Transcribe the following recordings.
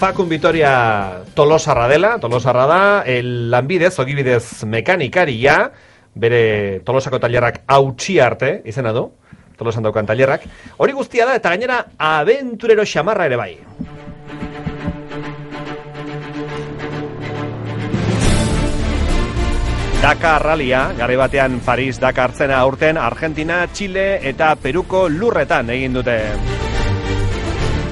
Fakun Vitoria Tolosarra da, lanbidez, ogibidez mekanikaria, bere Tolosako tailerrak hautsi arte, izena du, Tolosan daukan tailerrak. Hori guztia da, eta gainera aventurero xamarra ere bai. Dakar Rallya, garai batean Paris Dakar zena aurten Argentina, Chile eta Peruko lurretan egin dute.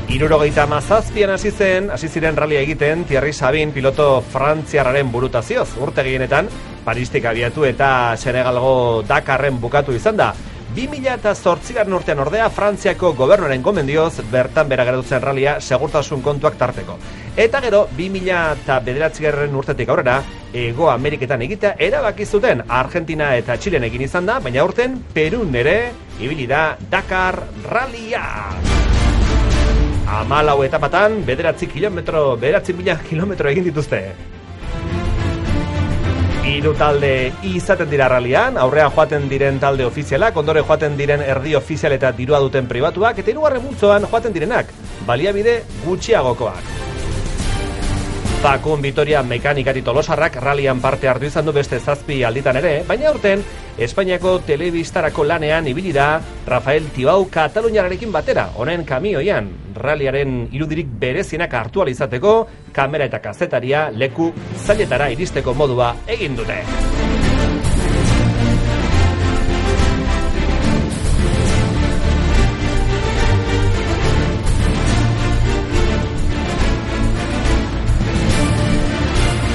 77an hasi ziren rallia egiten Thierry Sabin piloto frantziarraren burutazioz. Urte gehienetan Paristik abiatu eta Senegalgo Dakarren bukatu izan da. 2008 urtean ordea Frantziako gobernuaren gomendioz bertan bera geratu zen rallia segurtasun kontuak tarteko. Eta gero 2009 urtetik aurrera Hego Ameriketan egitea erabaki zuten Argentina eta Txilen egin izan da, baina aurten Perun ere ibili da Dakar Rallya. 14 etapatan 9.000 kilometro egin dituzte. 3 talde izaten dira rallian, aurrean joaten diren talde ofizialak, ondoren joaten diren erdi ofizial eta dirua duten pribatuak, eta 3. multzoan joaten direnak, baliabide gutxiagokoak. Fakun Vitoria mekanikari tolosarrak rallian parte hartu izan du beste 7 alditan ere, baina aurten Espainiako telebistarako lanean ibili da Rafael Tibau Kataluniararekin batera, honen kamioian, ralliaren irudirik berezienak hartu ahal izateko, kamera eta kazetaria leku zailetara iristeko modua egin dute.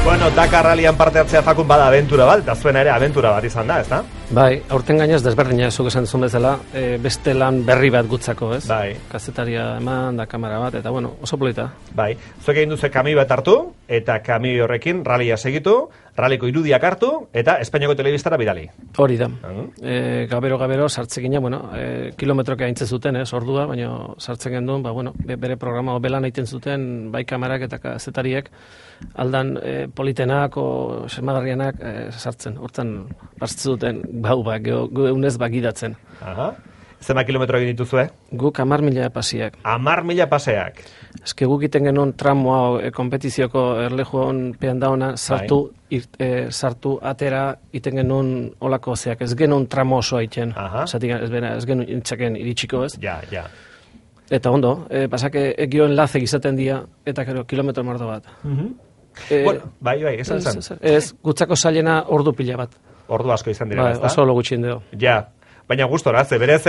Bueno, Dakar Rallyan parte hartzea Fakun bada aventura bat, eta zuena ere aventura bat izan da, ez da? Bai, aurten gainez desberdina, zuk esan duzun bezala, beste lan berri bat gutzako, ez? Bai. Kazetaria eman, da kamera bat, eta bueno, oso polita. Bai, zuek egin duzu kamioi bat hartu, eta kamioi horrekin rallia segitu, ralliko irudiak hartu, eta Espainiako telebistara bidali. Hori da. Gabero sartzekina, bueno, kilometroke haintze zuten, ordua, baina sartzen genduen, bueno, bere programa belan egiten zuten, bai kamerak eta kazetariek, aldan politenak o semagarrianak sartzen, hortzen bastzen duten, geunez bagidatzen. Aha. Zema kilometro egin dituzue? Guk 10.000 pasiak. 10.000 paseak. Eske guk iten genuen tramoa kompetizioko erlejuan pean dauna sartu atera iten genuen olako zeak. Ez genuen tramo osoa iten. Ez genuen intzaken iritsiko ez. Ja. Eta ondo, pasake egioen laze izaten dia eta gero kilometro mordo bat. Bueno, bai, esan zen. Ez, gutzako zailena ordu pila bat. Ordu asko izan dira, ez da? Oso lo gutxien deo. Ja. Baina gustora, berez,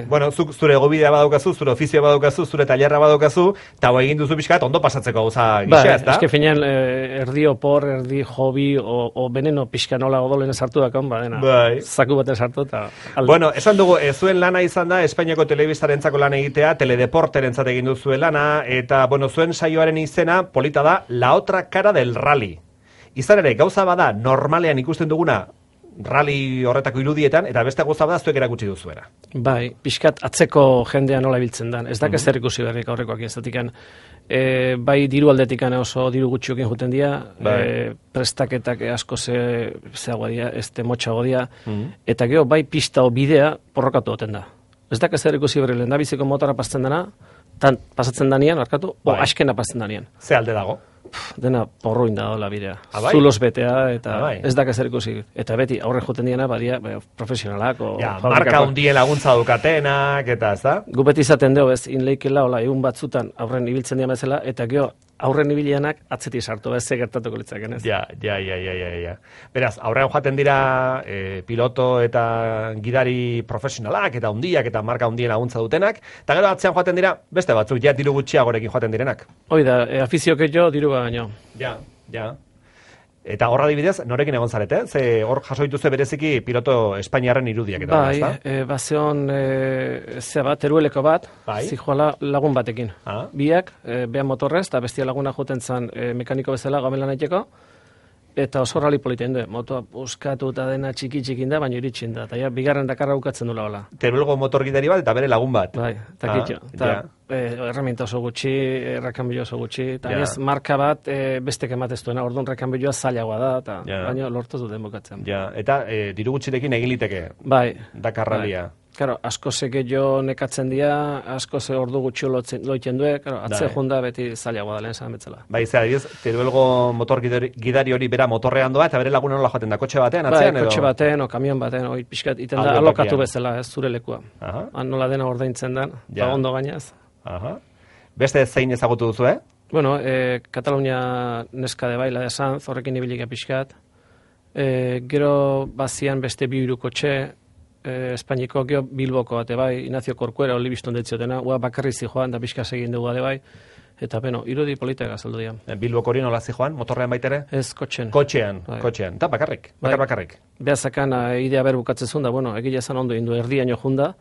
bueno, zure gobidea badaukazu, zure ofizioa badaukazu, zure tailerra badaukazu, eta egin duzu pixkat ondo pasatzeko gauza gisa, ez da? Eske finean, erdi opor, erdi hobi, o beneno pixka nola odolen sartu dakan, zaku baten sartu, eta... Bueno, esan dugu, zuen lana izan da, Espainiako telebistarentzako lan egitea, teledeporterentzat egin duzuen lana, eta, bueno, zuen saioaren izena, polita da, La otra cara del rally. Izan ere, gauza bada, normalean ikusten duguna, rally horretako irudietan, eta beste gauza bada zuek erakutsi duzuera. Bai, pixkat atzeko jendea nola ibiltzen dan. Ez dakez zer ikusi berrik aurrekoak izatikan. Bai diru aldetikan oso diru gutxiokin juten dira, prestaketak asko zeagoa dira, motxago dira, eta gero bai pista o bidea porrokatu goten da. Ez dakez zer ikusi berrik lehen da biziko motora pasatzen dana, pasatzen danian, o askena pasatzen danian. Ze alde dago? Dena porruin da dola bidea. Zulos betea, eta ez da zer ikusi. Eta beti, aurren joten diena, badia profesionalak. Marka hundien laguntza dukatenak, eta ez da? Gu beti izaten dugu, ez, inleikela, egun batzutan aurren ibiltzen dian bezala, eta gero, aurren ibilianak atzeti sartu, ez ze gertatuko litzaken, ez? Ja. Beraz, aurrean joaten dira piloto eta gidari profesionalak, eta hundiak, eta marka hundien laguntza dutenak, eta gero atzean joaten dira, beste batzuk, ja diru gutxiagorekin joaten direnak. Hoi da, afizioke jo, diru baino. Ja. Eta horra dibidez, norekin egon zarete? Ze hor jaso dituzte bereziki piloto Espainiarren irudiak eta bai, bazeon terueleko bat, zijoala lagun batekin. Biak, behan motorrez, eta bestia laguna joten zan mekaniko bezala gamelan aiteko, eta oso rali politen du, motoa buskatu eta dena txiki-txikin da, baina iritsin da, eta bigarren Dakarra bukatzen dula hola. Teruelgo motor gidari bat eta bere lagun bat. Bai, eta kitxo. Herramienta oso gutxi, errekanbilo oso gutxi, eta ez marka bat bestek ematez duena, orduan errekanbiloa zailagoa da, eta baina lortu duten bukatzen. Ja, eta diru gutxirekin egin liteke. Bai. Dakar Rallya. Claro, asko seke jo nekatzen dira, asko ze ordu gutxi loiten due, claro, atze junda beti zailagoa da lehen zan betzela. Bai, ze adibidez, Teruelgo motor gidari hori bera motorrean doa, eta bere laguna nola joaten da, kotxe batean, atzean edo? Kotxe batean, o kamion batean, oi pixkat, iten da alokatu bezala, ez zure lekua. Han nola dena ordaintzen dan, ondo gainaz. Beste zein ezagutu duzu, Bueno, Katalunia neska de baila esan, horrekin ibilika pixkat. Gero bazian beste bi hiru kotxe, Espainiko gero Bilboko bate bai, Ignacio Corcuera oli bizton detziotena, bakarri zijoan da pixka segin dugu ade bai, eta beno, irudi politak azaldu dira. Bilboko hori nola zijoan, motorrean baitere? Ez, kotxen. Kotxean, eta bakarrik, bakarrik. Behazakan idea ber bukatzezun da, bueno, egile esan ondo indu erdiaino junda,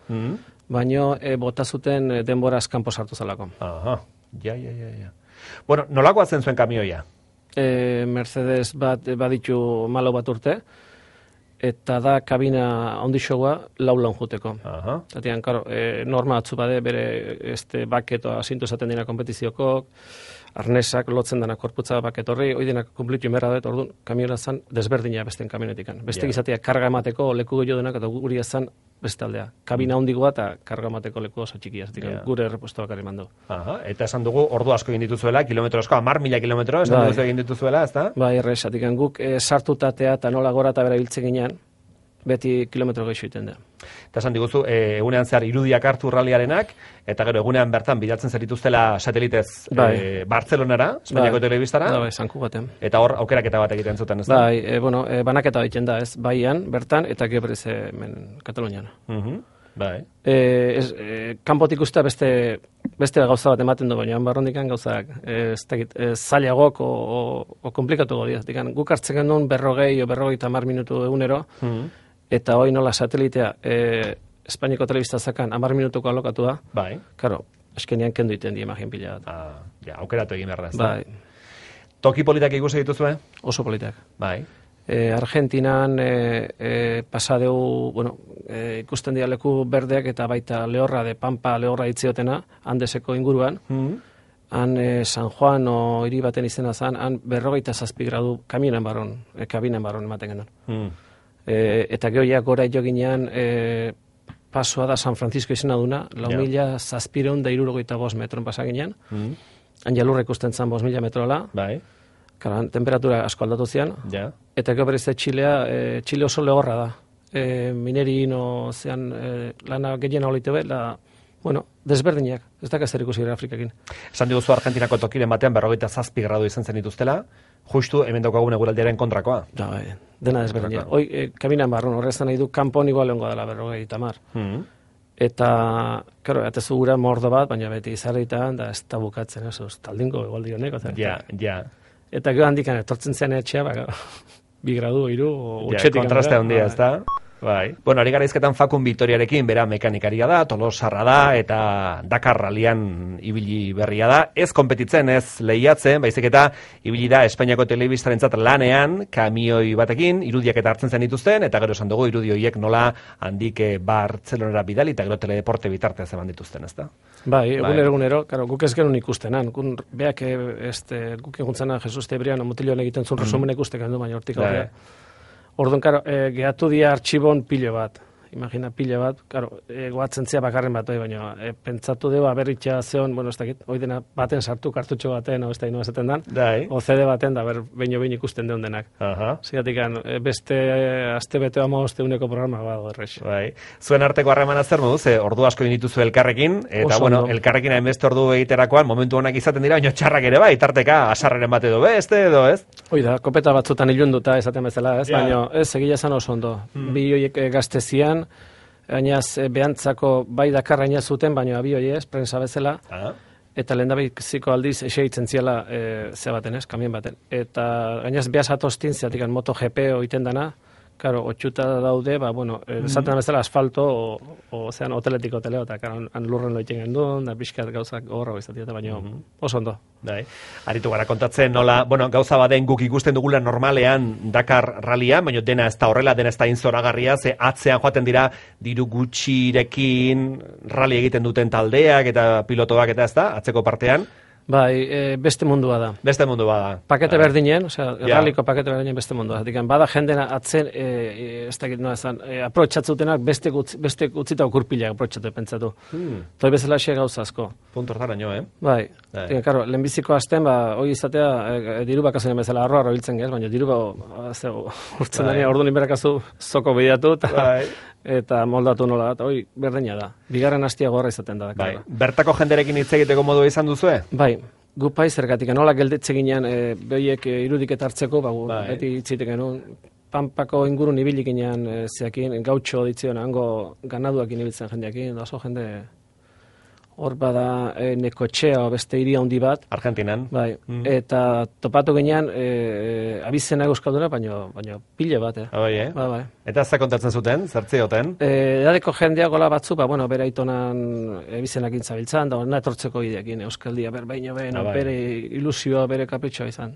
baino bota zuten denbora askampo sartu zalako. Aha, ja. Bueno, nolakoa zen zuen kamioia? Mercedes bat baditu malo bat urte, eta da kabina ondixoa laulan juteko. Zatian, karo, norma atzu bade, bere baketo asintu esaten dina kompetizioko, arnesak lotzen dena korputza baket horri, hoi denak kumplitu imerra dut, orduan, kamiola zan desberdina besten kamionetikan. Beste gizatea karga emateko leku gehiago denak, eta guri ezan beste aldea. Kabina hondigoa eta karga emateko leku oso txikia, gure errepuesto bakarri mandu. Eta esan dugu, ordu asko egin dituzuela, kilometro asko, 10.000 kilometro, esan dugu egin dituzuela, ez da? Bai, errezatik, guk sartutatea eta nola gora eta bera biltzen ginean, beti kilometro gehiago iten da. Eta esan diguzu, egunean zehar irudiak hartu ralliarenak, eta gero egunean bertan bilatzen zerituztela satelitez Bartzelonara, Espainiako telebistara. Bai, zanku baten. Eta hor aukeraketa bat egiten zuten, ez da? Bai, banaketa egiten da, ez, baian, bertan, eta gero berez Katalunian. Bai. Kanpotik uste beste gauza bat ematen du, baina barrondikan gauzak zailagok o komplikatu godi. Guk hartzen genuen 40 o 50 minutu egunero, eta hoi nola satelitea Espainiako telebista zakan 10 minutuko alokatua. Bai. Karo, eskenean kendu iten di imagin pila bat. Aukeratu egin behar da, ez da? Bai. Toki politak ikusi dituzue? Oso politak. Bai. Argentinan pasadeu, ikusten dira leku berdeak eta baita lehorra de Pampa lehorra itziotena, Andeseko inguruan. Han San Juan o hiri baten izena zan, han 47 gradu kabinen barron ematen genuen. Eta gehoiak gora jo ginean pasoa da San Francisco izena duna, 4.775 metron pasa ginean. Han jalurra ikusten zan 5.000 metrola. Bai. Karan, temperatura asko aldatu zian, eta gero berez Chile oso lehorra da. Minerino zean lana gehien hau leite desberdinak, ez da zer ikusi Afrikakin. Esan diguzu Argentinako tokiren batean 47 gradu izan zen dituztela, justu hemen daukagun eguraldiaren kontrakoa. Bai, dena desberdina. Hoi, kabinan barron, horrezan nahi du, kanpon igual lehenko dela 50. Eta, karo, atezu gura mordo bat, baina beti izarritan, da ez da bukatzen, ez taldinko egualdi honek. Ja. Eta gero handikan etortzen zean etxea, 2 gradu, 3, utxetik. Kontraste handia, ez da? Bai. Bueno, ari gara izketan Fakun Vitoriarekin, bera mekanikaria da, tolosarra da, eta Dakar rallian ibili berria da. Ez konpetitzen, ez lehiatzen, baizik eta ibili da Espainiako telebistarentzat lanean, kamioi batekin, irudiak eta hartzen zen dituzten, eta gero esan dugu irudioiek nola handik Bartzelonara bidali, eta gero teledeporte bitartea zeban dituzten, ez da? Bai, egunero, karo, guk ez genuen ikustenan. Beak, guk eguntzena Jesus Tebriano mutilioan egiten zuen resumen ikusten gendu, baina hortik aurrea. Orduan, karo, gehatu dia artxibon pilo bat. Imagina pilo bat, karo, goatzen zia bakarren bat, baina pentsatu dugu aberritxa zeon, ez dakit, hoi dena baten sartu kartutxo baten, ez da ino esaten dan, o CD baten, da behin ikusten deun denak. Zigatik, beste aste beteo uneko programa badago errex. Bai. Zuen arteko harremana zer moduz, ordu asko dituzu elkarrekin, eta elkarrekin hainbeste ordu egiterakoan, momentu honak izaten dira, baina txarrak ere bai, tarteka asarreren bat edo beste edo, ez? Hoi da, kopeta batzutan ilunduta esaten bezala, ez? Baina ez, egila zan oso ondo. Bi horiek gaztezian, gainaz behantzako bai Dakarra ina zuten, baina abioi ez, prensa bezala, eta lehendabiziko aldiz eseitzen ziala zebaten ez, kamien baten. Eta gainaz behaz atostin, zeatik MotoGP oiten dana, karo, otxuta daude, esaten bezala asfalto, zean hoteletiko hoteleo, eta han lurren loiten gendun, da pixkat gauzak horro izatea, baina oso ondo. Aritu gara kontatzen, nola, gauza baden guk ikusten dugula normalean Dakar rallian, baina dena ez da horrela, dena ez da inzoragarria, ze atzean joaten dira diru gutxirekin rally egiten duten taldeak eta pilotoak eta ez da, atzeko partean. Bai, beste mundua da. Beste mundua da. Pakete berdinen, osea, erraliko pakete berdinen beste mundua. Zatik, bada jendena atzen, ez dakit noa esan, aprotxatzutenak beste utzita okurpilak aprotxatu pentsatu. Toi bezala xe gauza asko. Punto hortara nio, Bai, karo, lehenbiziko azten, hoi izatea, diru bakazen bezala arro biltzen gez, baina diru urtzen dani, ordu ninberakazu zoko bideatu, eta moldatu nola, eta hoi berdina da. Bigarren hastia gorra izaten da. Bai. Bertako jenderekin hitz egiteko modua izan duzue? Bai, gu pai zergatik, nola geldetze ginen behiek irudiket hartzeko, beti hitzitek genuen, Pampako ingurun ibilik ginen zeakin, gautxo ditzion, hango ganaduak inibiltzen jendeakin, da oso jende hor bada Nekotxea beste hiri handi bat. Argentinan. Bai, eta topatu ginean abizena euskalduna, baina pile bat, Bai. Eta ze kontatzen zuten, zertzioten? Edadeko jendea gola batzu, bere aitonan abizenakin zabiltzan, da hona etortzeko ideekin, euskaldia, bere ilusioa, bere kapritxoa izan.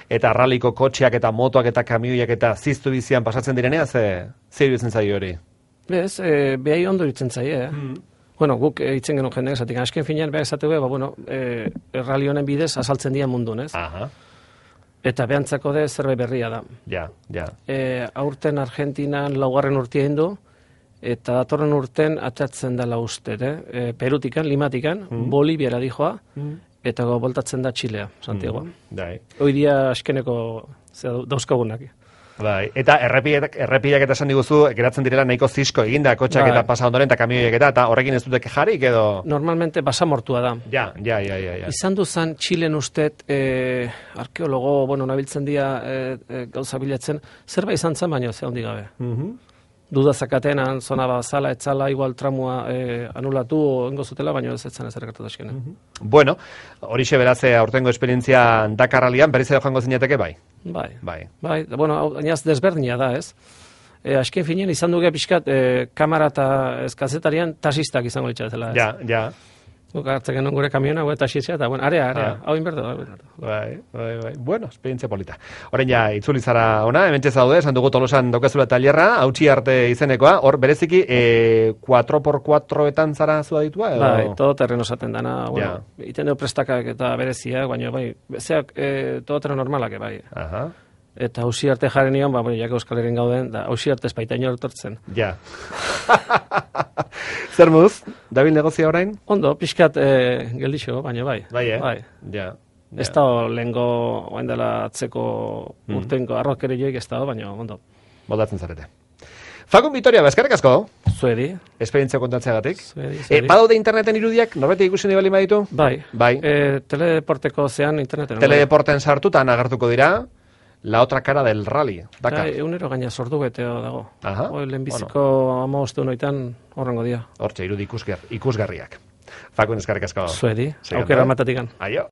Eta ralliko kotxeak eta motoak eta kamioiak eta ziztu bizian pasatzen direnea, ze iruditzen zaio hori? Bez, behai ondo iruditzen zaie, Bueno, guk hitzen genuen jendeak esatik, asken finean behar esatu errali honen bidez azaltzen dira mundun, ez? Eta behantzako de zerbait berria da. Ja. Aurten Argentinan laugarren urtia hindu, eta datorren urten atatzen dela uste, Perutikan, Limatikan, Boliviara dijoa, eta boltatzen da Txilea, Santiagoa. Hoi dia askeneko dauzkagunak. Bai, eta errepideak eta esan diguzu, geratzen direla nahiko zisko eginda, kotxak eta pasa ondoren, eta kamioiek eta horrekin ez dute kejarik edo? Normalmente basamortua da. Ja. Izan duzan Txilen ustet, arkeologo, nabiltzen dira gauza bilatzen, zerbait izan zen baino, ze handi gabe. Duda zakatenan, zona bazala, etzala, igual tramua anulatu, ongo zutela, baino ez etzen ezer gertatu eskene. Bueno, horixe beraz aurtengo esperientzia Dakarralian, berriz edo joango zinateke bai? Bai, ainaz desberdina da, ez? Asken finean izan duge pixkat, kamara eta kazetarian tasistak izango litzatzela, ez? Ja. Guk hartzen genuen gure kamiona, tasizia, eta area, hau inbertu. Bai. Bueno, esperientzia polita. Horren ja, itzuli zara ona, hementxe zaude, esan dugu Tolosan daukezula talerra, hautsi arte izenekoa, hor bereziki 4x4etan zara zua ditua? Bai, todo terreno esaten dana, iten dugu prestakak eta bereziak, baina bai, zeak todo terreno normalak, bai. Eta hausi arte jaren nion, jak Euskal Herrin gauden, da hausi arte espaita inor etortzen. Ja. Zer moduz, dabil negozia orain? Ondo, pixkat geldixo, baina bai. Bai. Ja. Ez da lehengo, oain dela atzeko urtenko arrokere joik ez da, baina ondo. Moldatzen zarete. Fakun Vitoria, eskerrik asko. Zuedi. Esperientzia kontatzeagatik. Zuedi. Badaude interneten irudiak, norbeti ikusi nahi bali baditu? Bai. Teledeporteko zean interneten. Teledeporten sartutan agertuko dira. La otra cara del rally, Dakar. Egunero gaina sortu beteo dago. Lehenbiziko amaoste honoitan horrengo dia. Hortxe, irudi ikusgarriak. Fakun eskerrik asko. Zuedi, aukera matatikan. Aio.